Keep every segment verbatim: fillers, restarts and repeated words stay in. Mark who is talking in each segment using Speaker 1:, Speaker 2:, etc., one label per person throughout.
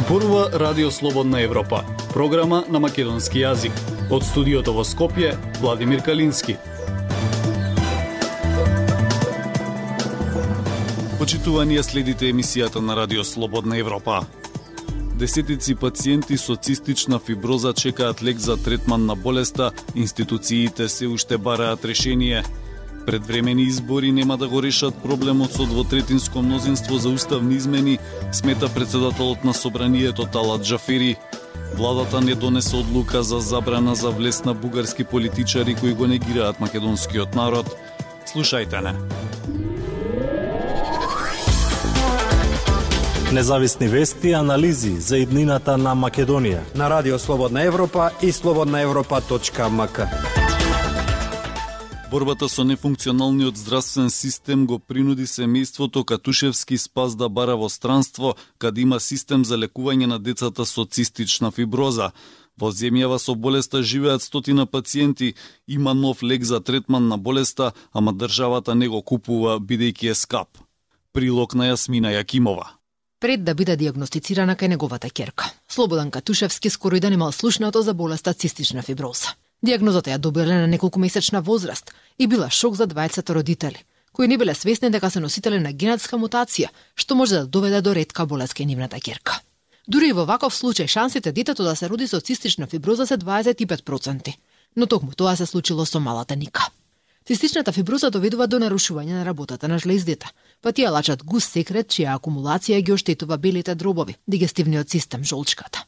Speaker 1: Зборува Радио Слободна Европа, програма на македонски јазик. Од студиото во Скопје, Владимир Калински. Почитувани, следите емисијата на Радио Слободна Европа. Десетици пациенти со цистична фиброза чекаат лек за третман на болеста, институциите се уште бараат решение. Предвремени избори нема да го решат проблемот со двотретинско мнозинство за уставни измени, смета председателот на собранието Талат Джафери. Владата не донесе одлука за забрана за влез на бугарски политичари кои го негираат македонскиот народ. Слушајте не.
Speaker 2: Независни вести и анализи за иднината на Македонија
Speaker 3: на Радио Слободна Европа и слободна европа точка ем ка.
Speaker 1: Борбата со нефункционалниот здравствен систем го принуди семејството Катушевски Спас да бара во странство, каде има систем за лекување на децата со цистична фиброза. Во земјава со болеста живеат стотина пациенти, има нов лек за третман на болеста, ама државата не го купува бидејќи е скап. Прилог на Јасмина Јакимова.
Speaker 4: Пред да биде диагностицирана кај неговата ќерка, Слободан Катушевски скоро и да немал слушнато за болеста цистична фиброза. Диагнозата ја добила на неколкумесечна возраст и била шок за дваесет родители, кои не биле свесни дека се носители на генетска мутација, што може да доведе до ретка болест кај нивната ќерка. Дури и во ваков случај шансите детето да се роди со цистична фиброза се дваесет и пет проценти, но токму тоа се случило со малата Ника. Цистичната фиброза доведува до нарушување на работата на жлездите, па тие лачат густ секрет чија акумулација ги оштетува белите дробови, дигестивниот систем, жолчката.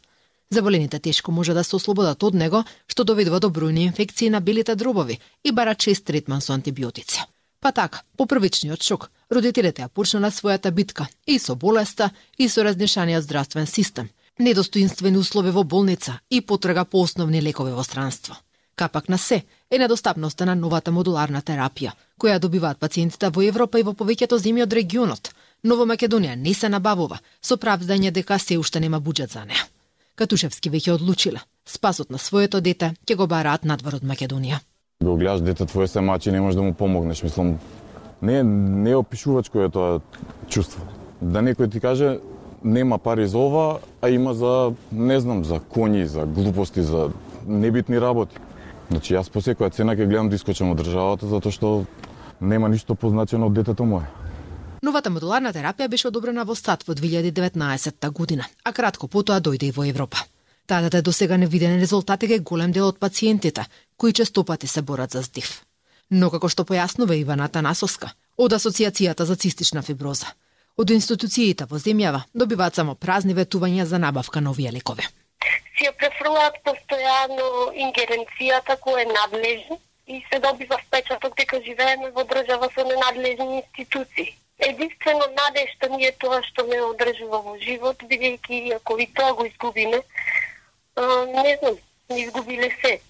Speaker 4: Заболените тешко може да се ослободат од него, што доведува до бројни инфекции на белите дробови и бара чест третман со антибиотици. Па така, по првичниот шок, родителите ја почнале својата битка и со болеста, и со разнешаниот здравствен систем, недостоинствени услови во болница и потрага по основни лекови во странство. Капак на се е недостапноста на новата модуларна терапија, која добиваат пациентите во Европа и во повеќето земји од регионот, но во Македонија не се набавува, со правдање дека се уште нема буџет за неа. Катушевски веќе одлучила, спасот на своето дете ќе го бараат надвор од Македонија.
Speaker 5: Го гледаш дете твое се мачи, не можеш да му помогнеш, мислам, не не е опишувачко е тоа чувство. Да некој ти каже нема пари за ова, а има за, не знам, за коњи, за глупости, за небитни работи. Значи јас по секоја цена ќе гледам да искочам од државата затоа што нема ништо позначено од детето мое.
Speaker 4: Новата модуларна терапија беше одобрена во САД во две илјади и деветнаесетта година, а кратко потоа дојде и во Европа. Тадата до сега невидени резултати кај голем дел од пациентите, кои честопати се борат за здив. Но како што појаснува Ивана Танасовска од Асоциацијата за цистична фиброза, од институциите во земјава добиваат само празни ветувања за набавка на овие лекови.
Speaker 6: Си ја префрлаат постојано ингеренцијата која е надлежна и се добива впечаток дека живееме во држава со ненадлежни институции. Единствено надежта ми е тоа што ме одржува во живот, бидејќи ако и тоа го изгубиме, не знам, не изгубиле се.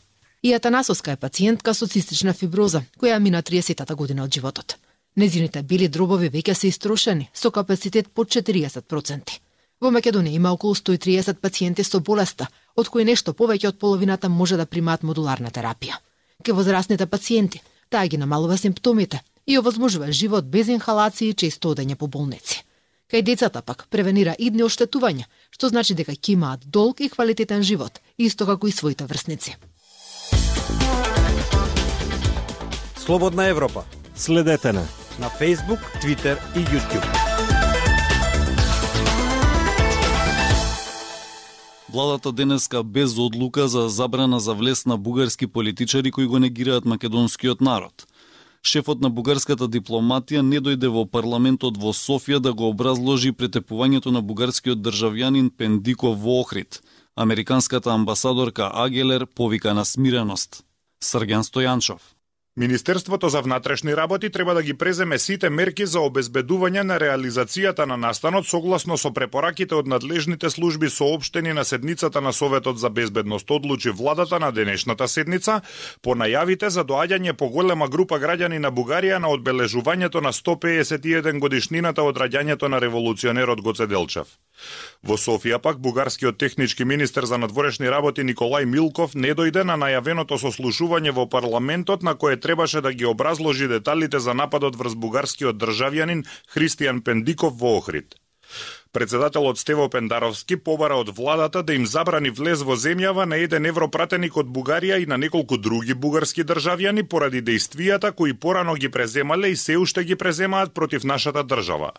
Speaker 4: И Атанасовска е пациентка со цистична фиброза, која мина триесеттата година од животот. Незините бели дробови веќе се истрошени, со капацитет под четириесет проценти. Во Македонија има околу сто и триесет пациенти со болеста, од кои нешто повеќе од половината може да примаат модуларна терапија. Ке возрастните пациенти, таа ги намалува симптомите и овозможува живот без инхалации и често одење по болници. Кај децата пак превенира идни оштетувања, што значи дека ќе имаат долг и квалитетен живот, исто како и своите врсници.
Speaker 3: Слободна Европа.
Speaker 2: Следете на
Speaker 3: на Facebook, Twitter и YouTube.
Speaker 1: Владата денеска без одлука за забрана за влез на бугарски политичари кои го негираат македонскиот народ. Шефот на бугарската дипломатија не дојде во парламентот во Софија да го образложи претепувањето на бугарскиот државјанин Пендиков во Охрид. Американската амбасадорка Агелер повика на смиреност. Срѓан Стојанчов.
Speaker 7: Министерството за внатрешни работи треба да ги преземе сите мерки за обезбедување на реализацијата на настанот согласно со препораките од надлежните служби соопштени на седницата на Советот за безбедност, одлучи владата на денешната седница по најавите за доаѓање по голема група граѓани на Бугарија на одбележувањето на сто педесет и еден годишнината од раѓањето на револуционерот Гоце Делчев. Во Софија пак бугарскиот технички министер за надворешни работи Николај Милков не дојде на најавеното сослушување во парламентот на кое требаше да ги образложи деталите за нападот врз бугарскиот државјанин Христијан Пендиков во Охрид. Председателот Стево Пендаровски побара од владата да им забрани влез во земјава на еден европратеник од Бугарија и на неколку други бугарски државјани поради дејствијата кои порано ги преземале и се уште ги преземаат против нашата држава.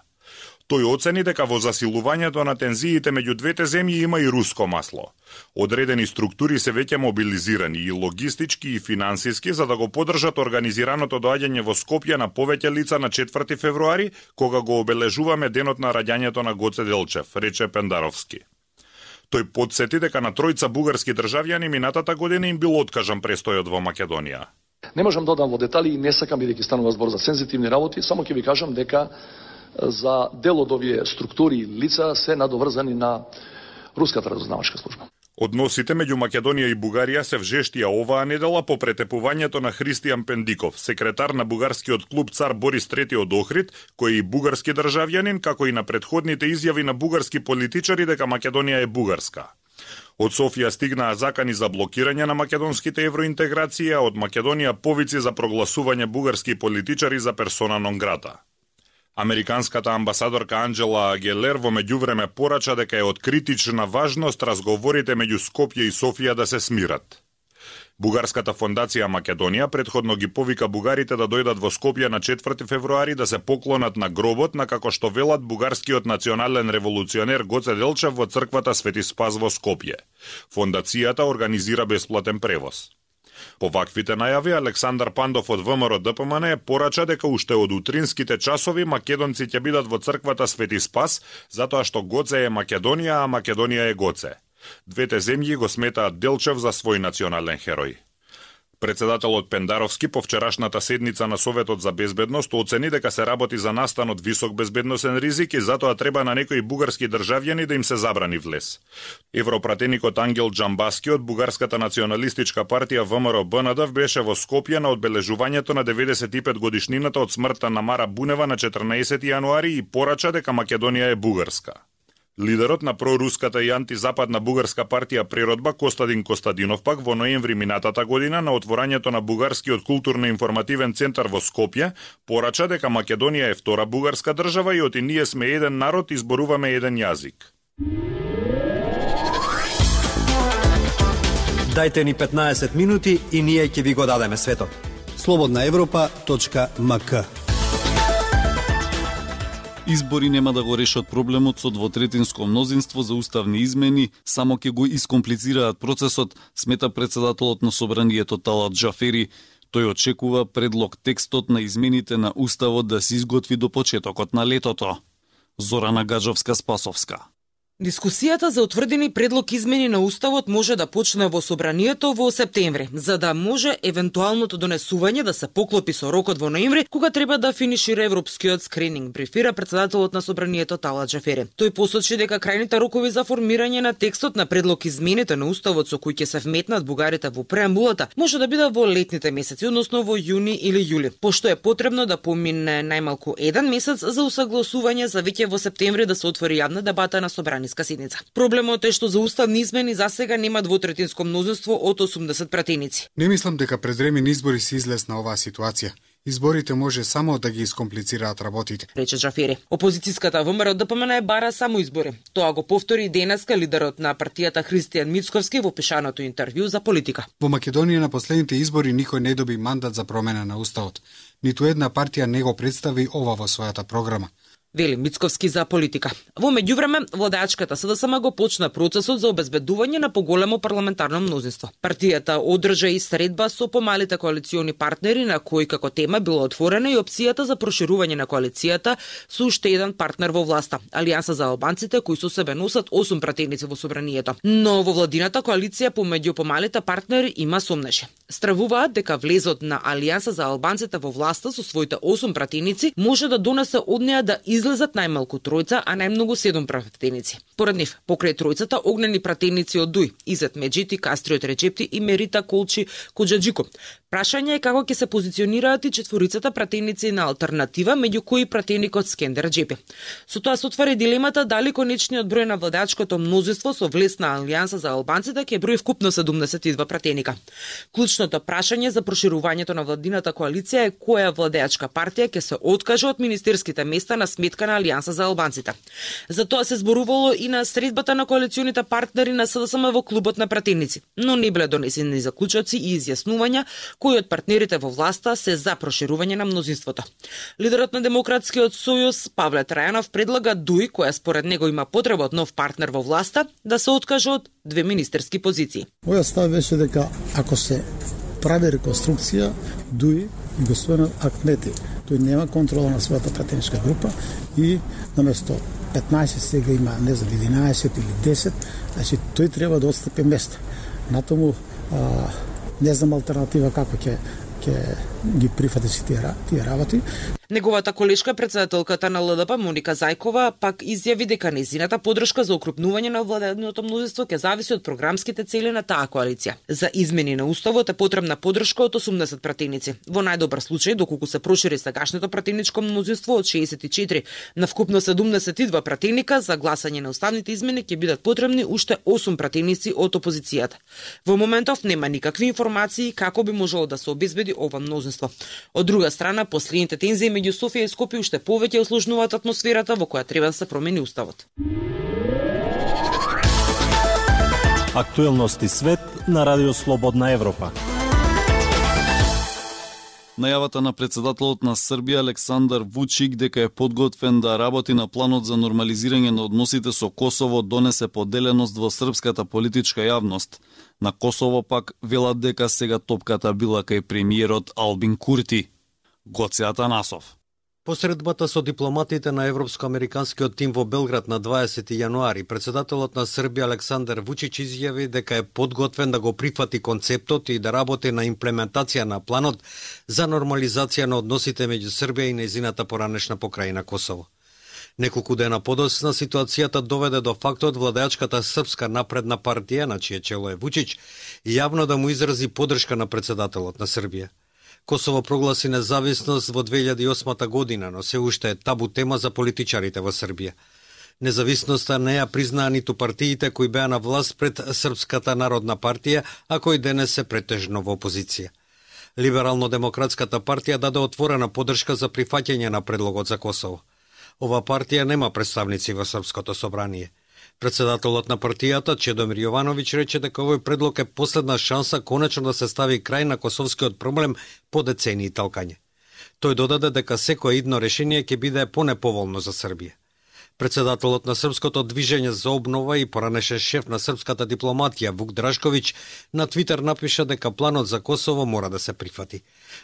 Speaker 7: Тој оцени дека во засилувањето на тензиите меѓу двете земји има и руско масло. Одредени структури се веќе мобилизирани и логистички и финансиски за да го поддржат организираното доаѓање во Скопје на повеќе лица на четврти февруари, кога го обележуваме денот на раѓањето на Гоце Делчев, рече Пендаровски. Тој потсети дека на тројца бугарски државјани минатата година им бил откажан престојот во Македонија.
Speaker 8: Не можам да одам во детали и не сакам бидејќи станува збор за сензитивни работи, само ќе ви кажам дека за дел од овие структури и лица се надоврзани на руската разузнавачка служба.
Speaker 7: Односите меѓу Македонија и Бугарија се вжештија оваа недела по претепувањето на Христијан Пендиков, секретар на бугарскиот клуб Цар Борис трети од Охрид, кој е и бугарски државјанин, како и на претходните изјави на бугарски политичари дека Македонија е бугарска. Од Софија стигнаа закани за блокирање на македонските евроинтеграции, а од Македонија повици за прогласување бугарски политичари за персона нон грата. Американската амбасадорка Анджела Гелер во меѓувреме порача дека е од критична важност разговорите меѓу Скопје и Софија да се смират. Бугарската фондација Македонија претходно ги повика бугарите да дојдат во Скопје на четврти февруари да се поклонат на гробот на, како што велат, бугарскиот национален револуционер Гоце Делчев во црквата Свети Спас во Скопје. Фондацијата организира бесплатен превоз. По ваквите најави, Александар Пандов од ВМРО Д П М Н порача дека уште од утринските часови македонци ќе бидат во црквата Свети Спас, затоа што Гоце е Македонија, а Македонија е Гоце. Двете земји го сметаат Делчев за свој национален херој. Председателот Пендаровски по вчерашната седница на Советот за безбедност оцени дека се работи за настан од висок безбедносен ризик и затоа треба на некои бугарски државјани да им се забрани влез. Европратеникот Ангел Џамбаски од Бугарската националистичка партија В М Р Б Н Д беше во Скопје на одбележувањето на деветдесет и пет годишнината од смртта на Мара Бунева на четрнаесети јануари и порача дека Македонија е бугарска. Лидерот на проруската и антизападна бугарска партија Природба Костадин Костадинов пак во ноември минатата година на отворањето на бугарскиот културно-информативен центар во Скопје порача дека Македонија е втора бугарска држава и оти ние сме еден народ и зборуваме еден јазик.
Speaker 3: Дајте ни петнаесет минути и ние ќе ви го дадеме светот. слободна европа точка м к.
Speaker 1: Избори нема да го решат проблемот со двотретинско мнозинство за уставни измени, само ќе го искомплицираат процесот, смета председателот на собранието Талат Џафери. Тој очекува предлог текстот на измените на уставот да се изготви до почетокот на летото. Зорана Гаджовска-Спасовска.
Speaker 9: Дискусијата за утврдени предлог измени на уставот може да почне во собранието во септември, за да може евентуалното донесување да се поклопи со рокот во ноември, кога треба да финишира европскиот скрининг, брифира председателот на собранието Талат Џафери. Тој посочи дека крајните рокови за формирање на текстот на предлог измените на уставот со кои ќе се вметнат бугарите во преамбулата може да биде во летните месеци, односно во јуни или јули, пошто е потребно да помине најмалку еден месец за усагласување за веќе во септември да се отвори јавна дебата на собранието седница. Проблемот е што за уставни измени засега нема двотретинско мнозинство од осумдесет пратеници.
Speaker 10: Не мислам дека предвремени избори се излез на оваа ситуација. Изборите може само да ги искомплицираат работите,
Speaker 9: рече Џафери. Опозицијската В М Р Д П М Н бара само избори. Тоа го повтори денеска лидерот на партијата Христијан Мицковски во пишаното интервју за Политика.
Speaker 10: Во Македонија на последните избори никој не доби мандат за промена на уставот. Ниту една партија не го представи ова во својата програма,
Speaker 9: вели Мицковски за Политика. Во меѓувреме, владачката С Д С М го почна процесот за обезбедување на поголемо парламентарно мнозинство. Партијата одржа и средба со помалите коалициони партнери, на кои како тема била отворена и опцијата за проширување на коалицијата со уште еден партнер во власта, Алијанса за албанците, кои со себе носат осум пратеници во собранието. Но во владината коалиција помеѓу помалите партнери има сомнеши. Стравуваат дека влезот на Алијанса за албанците во власта со своите осум пратеници може да донесе од неа да излезат најмалку тројца, а најмногу седум пратеници. Поред нив, покрај тројцата огнени пратеници од Дуј, Изет Меджити, Кастриот Речепти и Мерита Колчи Коџаџико. Прашање е како ќе се позиционираат и четворицата пратеници на алтернатива, меѓу кои пратеникот Скендер Џепи. Со тоа се отвари дилемата дали конечниот број на владачкото мнозинство со влез на Алијанса за албанците ќе брои вкупно седумдесет и два пратеника. Клучното прашање за проширувањето на владината коалиција е која владеачка партија ќе се откаже од министерските места на сметка сметка на Алијанса за албанците. За тоа се зборувало и на средбата на коалиционите партнери на СДСМ во клубот на пратеници, но не биле донесени заклучоци и изјаснувања кои од партнерите во власта се за проширување на мнозинството. Лидерот на Демократскиот сојуз Павле Трајанов предлага Дуј, која според него има потреба од нов партнер во власта, да се откаже од две министерски позиции.
Speaker 11: Моја став беше дека ако се прави реконструкција, Дуј и господинот Ахмети, тој нема контрола на својата пратеничка група и наместо петнаесет сега има, не знам, единаесет или десет, значи тој треба да отстапи место. Натаму а, не знам алтернатива како ќе ќе ги прифати си тие, тие работи.
Speaker 9: Неговата колешка, председателката на Л Д П Моника Зајкова, пак изјави дека нејзината подршка за укрупнување на владеното мнозинство ќе зависи од програмските цели на таа коалиција. За измени на уставот е потребна подршка од осумдесет пратеници. Во најдобар случај, доколку се прошири сегашното пратеничко мнозинство од шеесет и четири на вкупно седумдесет и два пратеника, за гласање на уставните измени ќе бидат потребни уште осум пратеници од опозицијата. Во моментов нема никакви информации како би можело да се обезбеди ова мнозинство. Од друга страна, последните тензии меѓу Софија и Скопје уште повеќе осложнуваат атмосферата во која треба да се промени уставот.
Speaker 2: Актуелности свет на Радио Слободна Европа.
Speaker 1: Најавата на председателот на Србија Александар Вучик дека е подготвен да работи на планот за нормализирање на односите со Косово донесе поделеност во српската политичка јавност. На Косово пак велат дека сега топката била кај премиерот Албин Курти. Гоце Атанасов.
Speaker 3: Посредбата со дипломатите на Европско-американскиот тим во Белград на дваесети јануари, председателот на Србија Александар Вучич изјави дека е подготвен да го прифати концептот и да работи на имплементација на планот за нормализација на односите меѓу Србија и нејзината поранешна покрајина Косово. Неколку дена подоцна ситуацијата доведе до фактот владеачката Српска напредна партија, на чие чело е Вучич, јавно да му изрази поддршка на председателот на Србија. Косово прогласи независност во две илјади и осма година, но се уште е табу тема за политичарите во Србија. Независноста не ја признаа ниту партиите кои беа на власт пред Српската народна партија, а кои денес се претежно во опозиција. Либерално-демократската партија даде отворена поддршка за прифаќање на предлогот за Косово. Ова партија нема представници во Српското собрание. Председателот на партијата Чедомир Јовановиќ рече дека овој предлог е последна шанса конечно да се стави крај на косовскиот проблем по децении талкање. Тој додаде дека секое идно решение ќе биде понеповолно за Србија. Председателот на Српското движење за обнова и поранешен шеф на српската дипломатија Вук Драшковиќ на Твитер напиша дека планот за Косово мора да се прифати.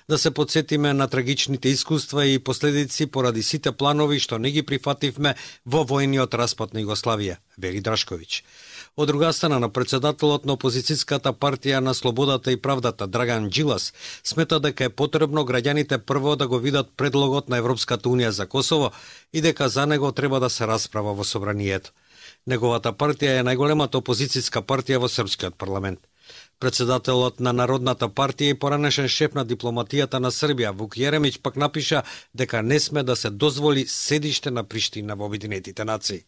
Speaker 3: Да се подсетиме на трагичните искуства и последици поради сите планови што не ги прифативме во војниот распад на Југославија, вели Драшковиќ. Од друга страна, на председателот на опозицијската партија на Слободата и правдата Драган Джилас смета дека е потребно граѓаните прво да го видат предлогот на Европската унија за Косово и дека за него треба да се расправа во собранието. Неговата партија е најголемата опозицијска партија во српскиот парламент. Председателот на Народната партија и поранешен шеф на дипломатијата на Србија Вук Јеремиќ пак напиша дека не сме да се дозволи седиште на Приштина во Обединетите нации.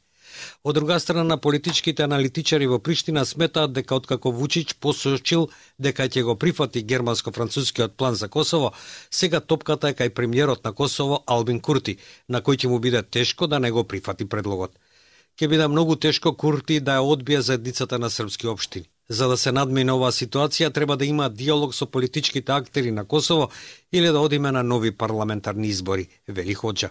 Speaker 3: Од друга страна, политичките аналитичари во Приштина сметаат дека откако Вучич посочил дека ќе го прифати германско-францускиот план за Косово, сега топката е кај премиерот на Косово Албин Курти, на кој ќе му биде тешко да не го прифати предлогот. Ќе биде многу тешко Курти да ја одбие заедницата на српски општини. За да се надмине оваа ситуација, треба да има диалог со политичките актери на Косово или да одиме на нови парламентарни избори, вели Хоџа.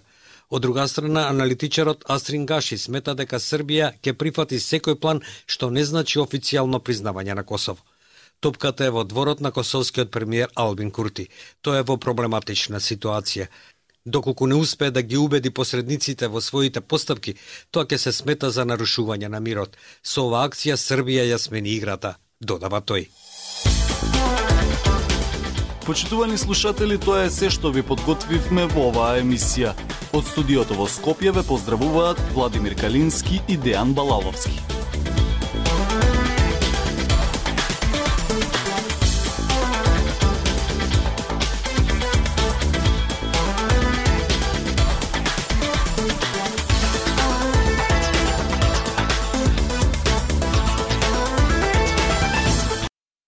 Speaker 3: Од друга страна, аналитичарот Астрин Гаши смета дека Србија ќе прифати секој план што не значи официјално признавање на Косово. Топката е во дворот на косовскиот премиер Албин Курти. Тој е во проблематична ситуација. Доколку не успее да ги убеди посредниците во своите постапки, тоа ќе се смета за нарушување на мирот. Со оваа акција Србија ја смени играта, додава тој.
Speaker 1: Почитувани слушатели, тоа е се што ви подготвивме во оваа емисија. Од студиото во Скопје ве поздравуваат Владимир Калински и Дејан Балаловски.